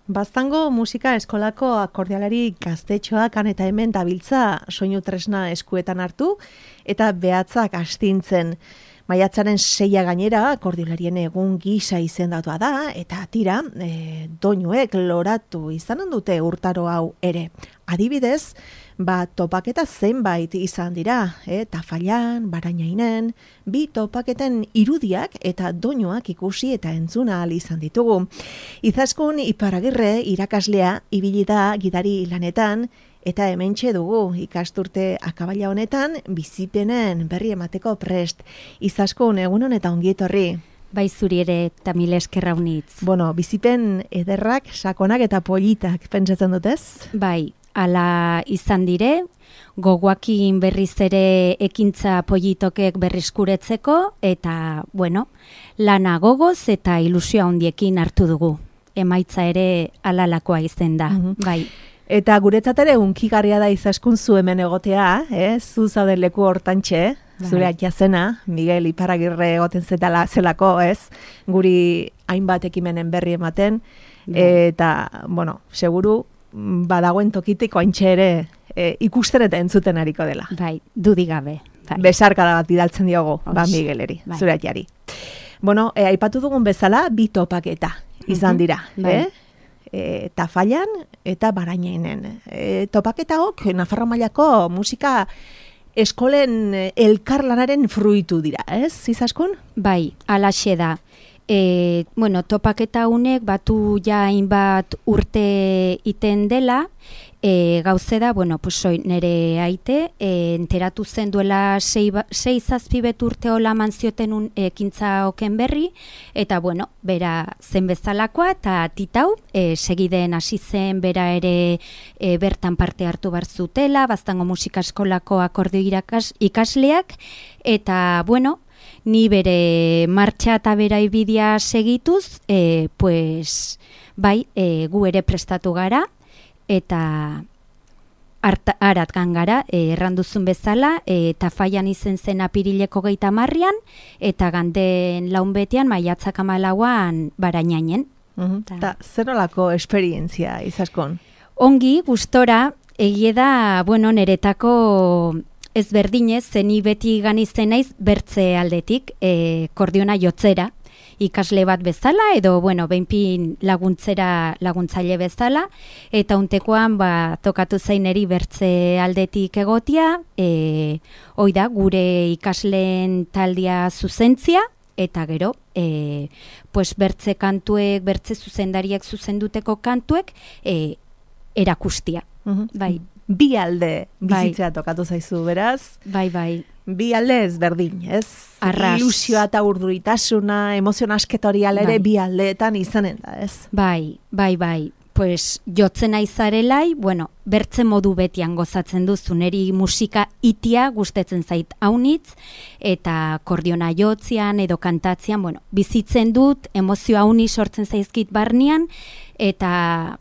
Baztango musika eskolako akordialari gaztetxoak han eta hemen dabiltza soinu tresna eskuetan hartu eta behatzak astintzen. Maiatzaren 6 gainera akordialarien egun gisa izendatua da eta tira doinuek loratu izanen dute urtaro hau ere. Adibidez, topaketa zenbait izan dira, Tafallan, Barainainen, 2 topaketen irudiak eta doinuak ikusi eta entzuna ahal izan ditugu. Izaskun Iparagirre irakaslea ibili da gidari lanetan, eta hementxe dugu ikasturte akabaila honetan bizipenen berri emateko prest. Izaskun, egun honetan ongi etorri. Bai, zuri ere eta mila eskerra unitz. Bizipen ederrak, sakonak eta politak pentsatzen dutez? Bai, ala izan dire, gogoakin berriz ere ekintza politokek berrizkuretzeko, eta, lana gogoz eta ilusioa handiekin hartu dugu. Emaitza ere alalakoa izen da, bai. Eta guretzat ere unkigarria da Izaskun zu hemen egotea, zu zauden leku hortantxe, zure atxazena, Miguel Iparagirre egoten zelako, guri hainbat ekimenen berri ematen, eta, seguru, badagoen tokitiko haintxe ere ikusten eta entzuten hariko dela. Bai, dudik gabe. Bai. Besarkada bat bidaltzen diogu, Migueleri, zure atxari. Aipatu dugun bezala, 2 topaketa izan dira, Tafallan eta Barainainen. Topaketaok Nafarroa mailako musika eskolen elkarlanaren fruitu dira, ez, Izaskun? Bai, alaxe da. Topaketa honek batu ja hainbat urte iten dela, gauze da, nire aite, enteratu zen duela 6-7 urte hola manzioten ekintza oken berri, eta bera zen bezalakoa, eta titau, segiden hasi zen bera ere bertan parte hartu bar zutela, Baztango musika eskolako akordio ikasleak, eta ni bere martxa eta bera ibidia segituz, gu ere prestatu gara, eta aratkan gara, erranduzun bezala, Tafallan izen zen apirileko 30, eta ganden launbetean maiatzak 14 Barainainen. Eta zer nolako esperientzia, Izaskun? Ongi, gustora, egie da, niretako ezberdinez, zeni beti ganitzen naiz bertze aldetik, kordiona jotzera, ikasle bat bezala, edo, behinpin laguntzaile bezala, eta untekoan, tokatu zaineri bertze aldetik egotia, da, gure ikasleen taldia zuzentzia, eta gero, bertze kantuek, bertze zuzendariek zuzenduteko kantuek, erakustia, bai. 2 alde bizitzea tokatu zaizu, beraz? Bai. 2 alde ezberdin, ez? Arras. Ilusioa eta urduritasuna, emozion asketorial ere 2 aldeetan izanen da, ez? Bai. Jotzen aizarelai, bertze modu betian gozatzen duzu, neri musika itia gustetzen zait haunitz, eta kordiona jotzian edo kantatzean, bizitzen dut, emozio hauni sortzen zaizkit barnean, eta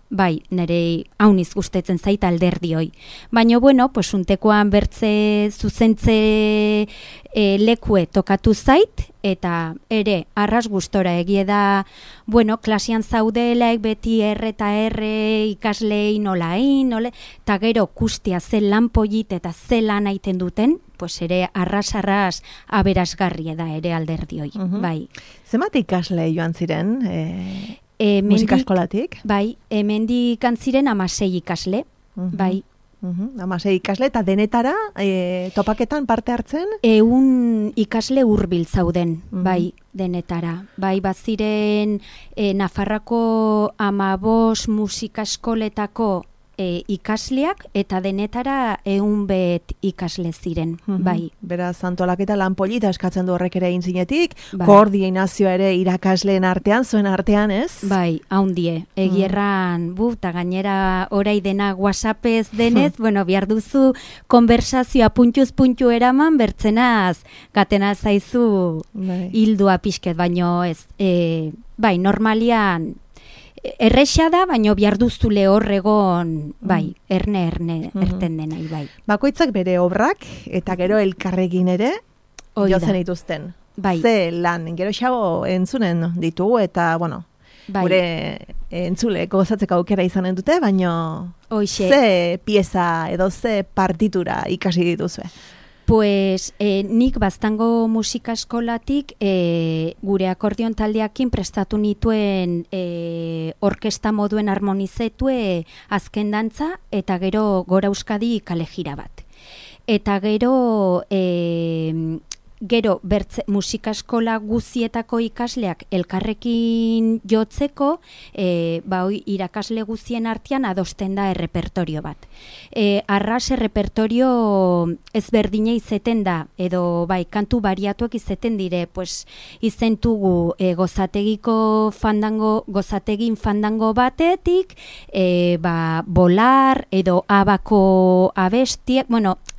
nire hauniz gustetzen zait alderdioi. Baina, untekoan bertze zuzentze lekue tokatu zait, eta ere arras gustora egie da, klasian zaudelaek beti eta ikaslei nolain, eta gero kustia ze lan polit eta ze lan aiten duten, ere arras aberasgarria da ere alderdioi. Bai. Zenbat ikasle joan ziren musika eskolatik? Bai, hemendik antziren 16 ikasle, bai. 16 ikasle, eta denetara topaketan parte hartzen? 100 ikasle hurbil zauden, bai, denetara. Bai, baziren Nafarrako 15 musika eskoletako ikasleak, eta denetara 100 ikasle ziren, bai. Beraz, antolaketa lan polita eskatzen du horrek ere egin zinetik, koordinazioa ere irakasleen artean, zuen artean, ez? Bai, haundie, egierran, eta gainera orai dena WhatsAppez denez, bihar duzu konversazioa puntuz-puntu eraman, bertzenaz, gatena zaizu hildua pixket, baino ez, normalian, erresa da, baina bihar duzule horregon, erne erten dena, bai. Bakoitzak bere obrak, eta gero elkarrekin ere, jotzen dituzten. Bai. Ze lan, gero xago entzunen ditugu, eta, gure entzule gozatzeko aukera izanen dute, baina ze pieza edo ze partitura ikasi dituzue? Pues nik Baztango musika eskolatik gure akordion taldeakin prestatu nituen orkesta moduen harmonizetue azken dantza eta gero Gora Euskadi kalejira bat. Eta gero musika eskola guzietako ikasleak elkarrekin jotzeko, irakasle guzien artean adosten da errepertorio bat. Arras errepertorio ezberdina izeten da, edo kantu bariatuak izeten dire, pues izentugu gozategin fandango batetik, bolar edo abako abestiek,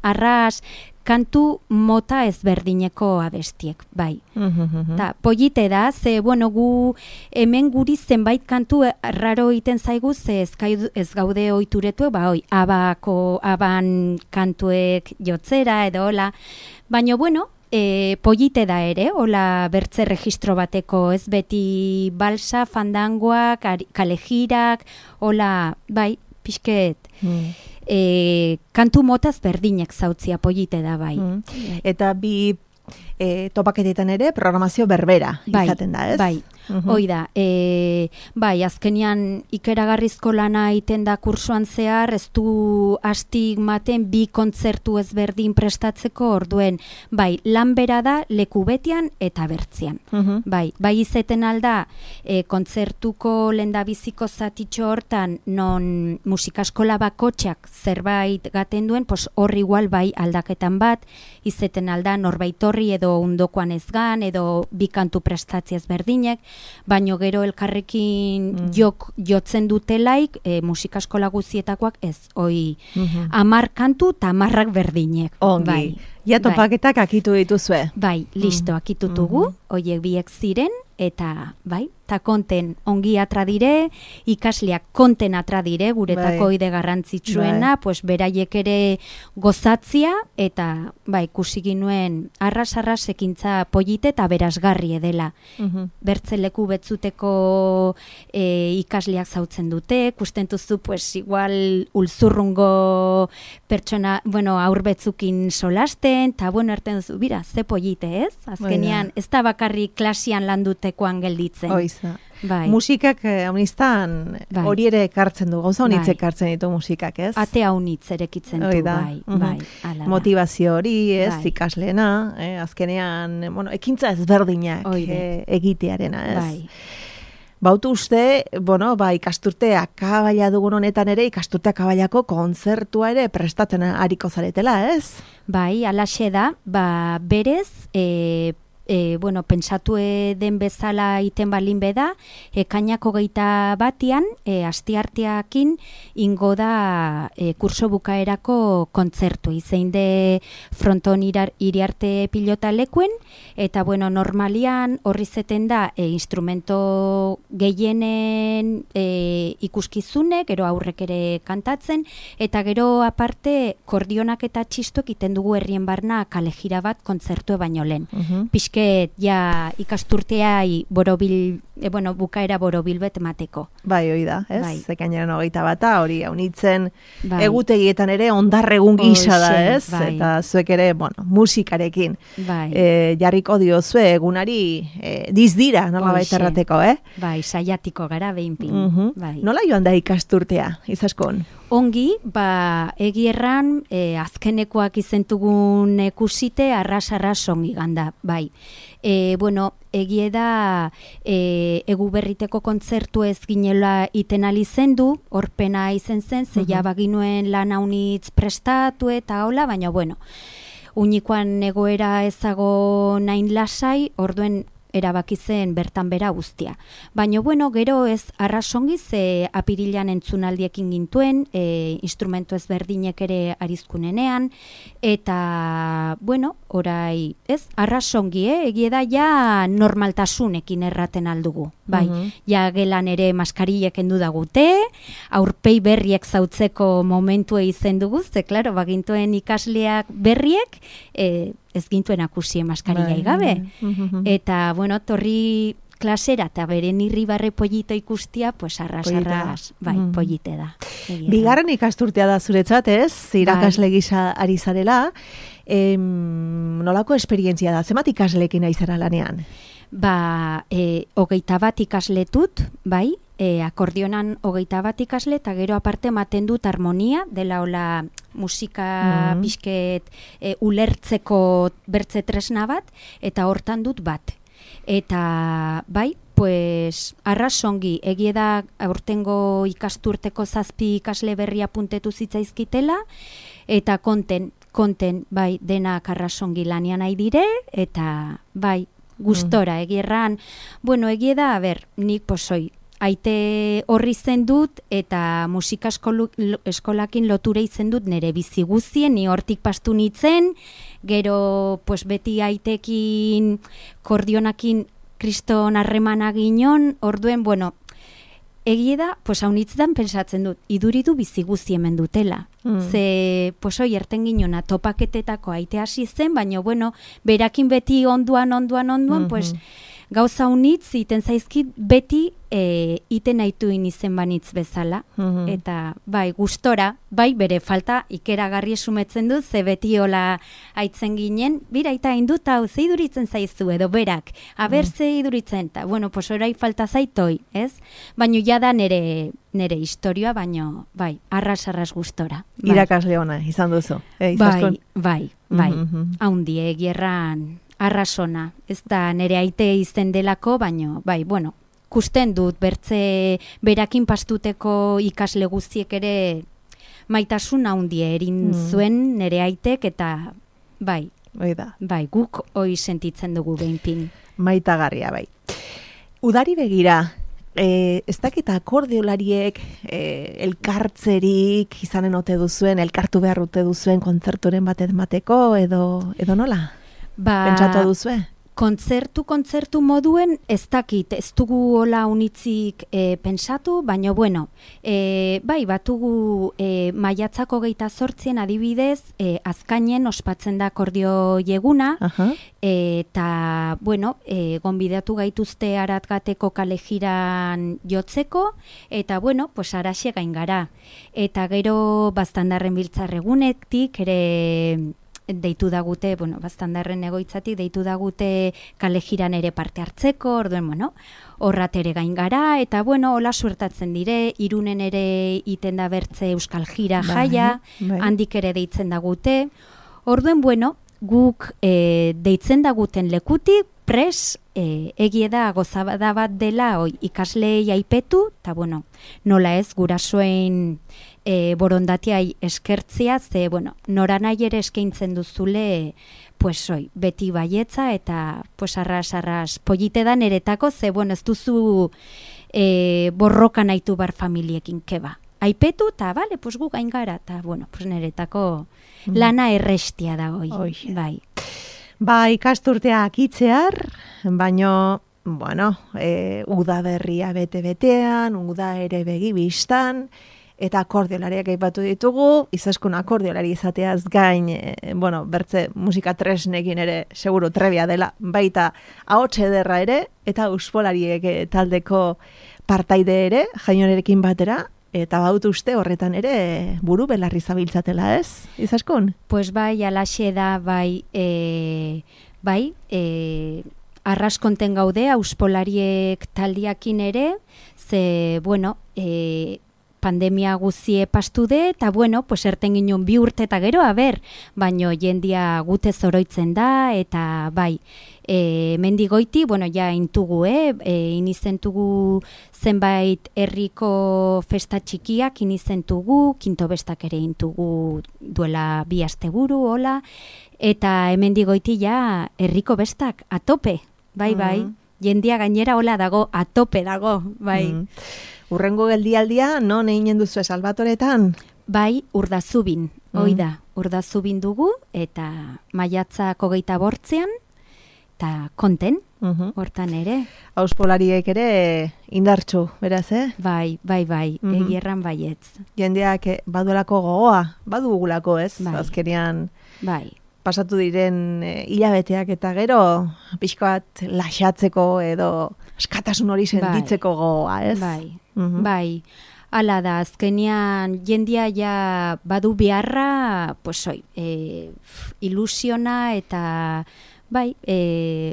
arras kantu mota ezberdineko abestiek, bai. Polite da, ze, gu hemen guri zenbait kantu raro iten zaigu, ze ez gaude oituretu, aban kantuek jotzera edo hola. Baina, polite da ere, hola bertze registro bateko, ez beti balsa, fandangoak, kalejirak, hola, bai, pixket... kantu motaz berdinek zautzia polite da, bai. Eta bi topaketetan ere programazio berbera izaten da, ez? Bai, hoi da. Azkenian ikeragarrizko lana iten da kursoan zehar, ez du astigmaten bi kontzertu ezberdin prestatzeko, orduen, lan bera da leku betian eta bertzian. Bai izeten alda, kontzertuko lendabiziko zatitxo hortan, non musikaskola bakotxak zerbait gaten duen, hor igual aldaketan bat, izeten alda norbait horri edo undokoan ezgan, edo bi kantu prestatzi ezberdinek, baino gero elkarrekin jotzen dutelaik musikaskola guzietakoak ez, 10 kantu eta 10 berdinek. Ongi, topaketak akitu dituzue. Bai, listo, akitutugu, hoiek biek ziren, eta ta konten ongi atradire, ikasleak konten atradire, guretako ide garrantzitsuena, pues beraiek ere gozatzia, eta ikusi ginuen arras ekintza polite eta berazgarri edela. Bertze leku betzuteko ikasleak zautzen dute, kustentuzu, pues igual ulzurrungo pertsona, aur betzukin solasten, eta erten duzu, bira, ze polite, ez? Azkenean, ez da bakarrik klasian landutekoan gelditzen. Musikak haunistan hori ere ekartzen du, gauza honitz ekartzen ditu musikak, ez? Ate haunitz erekitzen du, bai. Motivazio hori, ez, ikasleena, azkenean, ekintza ezberdinak egitearena, ez? Bautu uste, ikasturte akabaila dugun honetan ere, ikasturte akabailako kontzertua ere prestatzen ariko zaretela, ez? Bai, alaxe da, berez, pentsatu den bezala iten balin beda, ekainako 21 astiarteakin ingo da kurso bukaerako kontzertu. Izein de fronton iriarte pilota lekuen, eta normalian horri zeten da instrumento gehienen ikuskizune, gero aurrek ere kantatzen, eta gero aparte kordionak eta txistuek iten dugu herrien barna kalejira bat kontzertu baino lehen. Ja ikasturteai bukaera borobil bet mateko. Bai, hoi da, ez? Ekainaren 21, hori haunitzen egutegietan ere ondarregun gisa da, ez? Eta zuek ere, musikarekin jarriko diozue egunari dizdira, nola baita errateko, Bai, saiatiko gara behinpin. Nola joan da ikasturtea, izaskon? Ongi, egi erran, azkenekoak izentugun ikusite, arras ongi ganda, bai. Egie da egu berriteko kontzertu ez ginela iten alizendu, horpena izen zen, zeia baginuen lan haunitz prestatu eta hola, baina unikoan egoera ezago nain lasai, orduen erabaki zen bertan bera guztia. Baina, gero ez arrasongi ze apirilean entzunaldiekin gintuen, instrumento ezberdinek ere arizkunenean, eta, orai, ez, arrasongi, egie da ja normaltasunekin erraten aldugu. Bai, ja gelan ere maskarillek endu dagute, aurpei berriek zautzeko momentu izen dugu, ze, klaro, bagintuen ikasleak berriek, ez gintuen akusien maskarillai gabe. Eta, torri klasera eta beren irribarre pollito ikustia, pues arras, bai, pollite da. Bigarren ikasturtea da zuretzat, ez? Irakasle gisa ari zarela. Nolako esperientzia da? Zenbat ikasleekin ari zara lanean? 21 ikasletut, bai, akordionan 21 ikasle, eta gero aparte ematen dut harmonia, dela hola musika pixket ulertzeko bertze tresna bat, eta hortan dut bat. Eta bai, pues arrasongi, egie da aurtengo ikasturteko 7 ikasle berria puntetu zitzaizkitela, eta konten, bai, denak arrasongi lanian nahi dire, eta bai, gustora, egierran, bueno, egie da, nik posoi, aite horri zen dut, eta musika eskolakin lotura izen dut nire bizi guztien, ni hortik pastu nitzen, gero, pues beti aitekin, kordionakin, kriston harremana ginon, orduen, bueno, egie da, pues haunitzetan pensatzen dut, iduridu bizi guzti hemen dutela. Ze, pues hoi, erten ginona topaketetako aite hasi zen, baina, bueno, berakin beti onduan, pues, gauza unitz, iten zaizkit, beti iten aituin izen banitz bezala. Eta, bai, gustora, bai, bere falta ikeragarri esumetzen dut, ze beti hola aitzen ginen, bira eta indut, hau, ze iduritzen zaizu edo berak, aber ze iduritzen, eta, bueno, pues orai falta zaitoi, ez? Baina jada nere historioa, baina, bai, arras gustora. Bai. Irakasle ona, izan duzu. Bai, haundi, egierran arrasona. Ez da nere aite izen delako, baina, bai, bueno, kusten dut, bertze berakin pastuteko ikasle guztiek ere maitasun haundie erin zuen nere aitek, eta bai, bai, guk hoi sentitzen dugu behinpin. Maitagarria, bai. Udari begira, ez dakit akordeolariek elkartzerik izanen ote duzuen, elkartu behar ote duzuen kontzerturen bat emateko, edo nola? Pentsatu duzue? Kontzertu moduen ez dakit, ez dugu hola unitzik pentsatu, baina bueno, bai, batugu maiatzako 28 adibidez, azkainen ospatzen da akordio eguna, eta bueno, gonbidatu gaituzte Aratgateko kale jiran jotzeko, eta bueno, pues araxe gain gara. Eta gero Baztandarren biltzarregunetik ere deitu dagute, bueno, Baztandarren egoitzatik deitu dagute kale jiran ere parte hartzeko, orduen, bueno, horrat ere gain gara, eta bueno, hola suertatzen dire, Irunen ere iten da bertze Euskal Jira jaia, handik ere deitzen dagute, orduen, bueno, guk deitzen daguten lekutik, pres, egie da gozabada bat dela ikaslei aipetu, eta bueno, nola ez, gurasoen borondatiai eskertzia, ze, bueno, nora nahi ere eskaintzen duzule, pues, beti baietza, eta, pues, arras, pollite da neretako, ze, bueno, ez duzu borroka nahitu bar familiekin, keba. Aipetu, eta, bale, pues, gu gain gara, eta, bueno, pues, neretako lana errestia da, bai. Ba, ikasturteak itzear, baino, bueno, udaberria bete-betean, uda ere begibistan, eta akordeolariak aipatu ditugu, izaskun akordeolari izateaz gain, bueno, bertze musika tresnekin ere seguru trebia dela, baita ahots ederra ere, eta uspolariek taldeko partaide ere, jaionerekin batera, eta baut uste horretan ere buru belarri zabiltzatela, ez, izaskun? Pues bai, alaxe da, bai, arras konten gaude, uspolariek taldiakin ere, ze, bueno, pandemia guzie pastude, eta bueno, pues erten ginen 2 urte eta gero, baino jendia gute zoroitzen da, eta bai, mendigoiti, bueno, ja intugu, inizentugu zenbait herriko festa txikiak inizentugu, kinto bestak ere intugu duela 2 asteburu, hola, eta hemendigoiti ja herriko bestak atope, bai, jendia gainera hola dago, atope dago, bai. Urrengo geldialdia, non eginen duzu Salvatoretan? Bai, Urdazubin, da, Urdazubin dugu, eta maiatzak 28an, eta konten, hortan ere. Auspolariek ere indartsu, beraz, Bai, egierran baietz. Jendeak baduelako gogoa, badugulako, ez? Bai. Azkenean, bai. pasatu diren hilabeteak eta gero, pixka bat laxatzeko edo askatasun hori sentitzeko gogoa, ez? Bai. Hala da, azkenean jendia ja badu beharra, pues ilusiona eta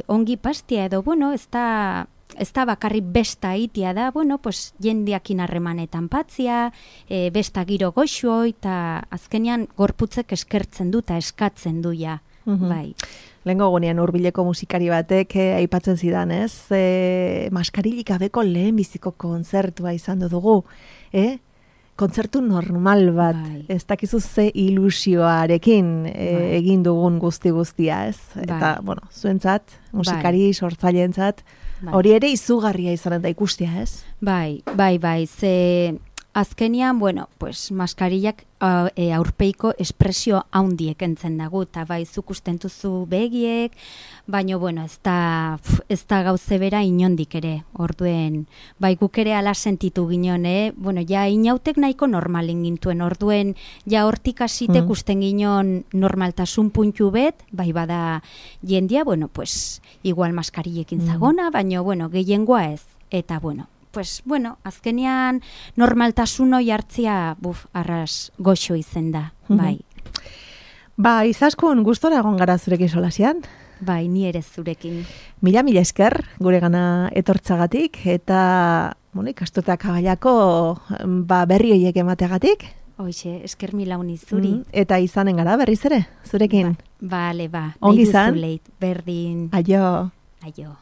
ongi pastia edo, bueno, ez da bakarrik besta itia da, bueno, pues jendiakin harremanetan patzia, besta giro goxo, eta azkenean gorputzek eskertzen du eta eskatzen du ja, bai. Lehengo gunean hurbileko musikari batek aipatzen zidan, ez? Maskarilik gabeko lehen biziko kontzertua izan dugu, kontzertu normal bat, ez dakizu ze ilusioarekin egin dugun guztia, ez? Eta, bueno, zuentzat, musikari sortzaileentzat, hori ere izugarria izanen da ikustia, ez? Bai, ze azkenian, bueno, pues maskarillak aurpeiko espresio haundiek entzen dago, eta bai, zuk ustentuzu begiek, baina, bueno, ez da gauze bera inondik ere, orduen, bai, guk ere ala sentitu ginen, bueno, ja, inautek nahiko normalin gintuen, orduen, ja, hortik asitek usten ginen normaltasun puntu bet, bai, bada jendia, bueno, pues, igual maskarillekin zagona, baina, bueno, gehiengoa ez, eta, bueno, azkenean normaltasun hoi hartzia, arras goxo izen da, bai. Ba, izaskun gustora egon gara zurekin solasian? Bai, ni ere zurekin. Mila esker gure gana etortzagatik, eta, bueno, ikastotak abaiako berri horiek emateagatik. Hoxe, esker mila honi zuri. Eta izanen gara berriz ere, zurekin. Bale, ongi izan. Berdin. Aio. Aio.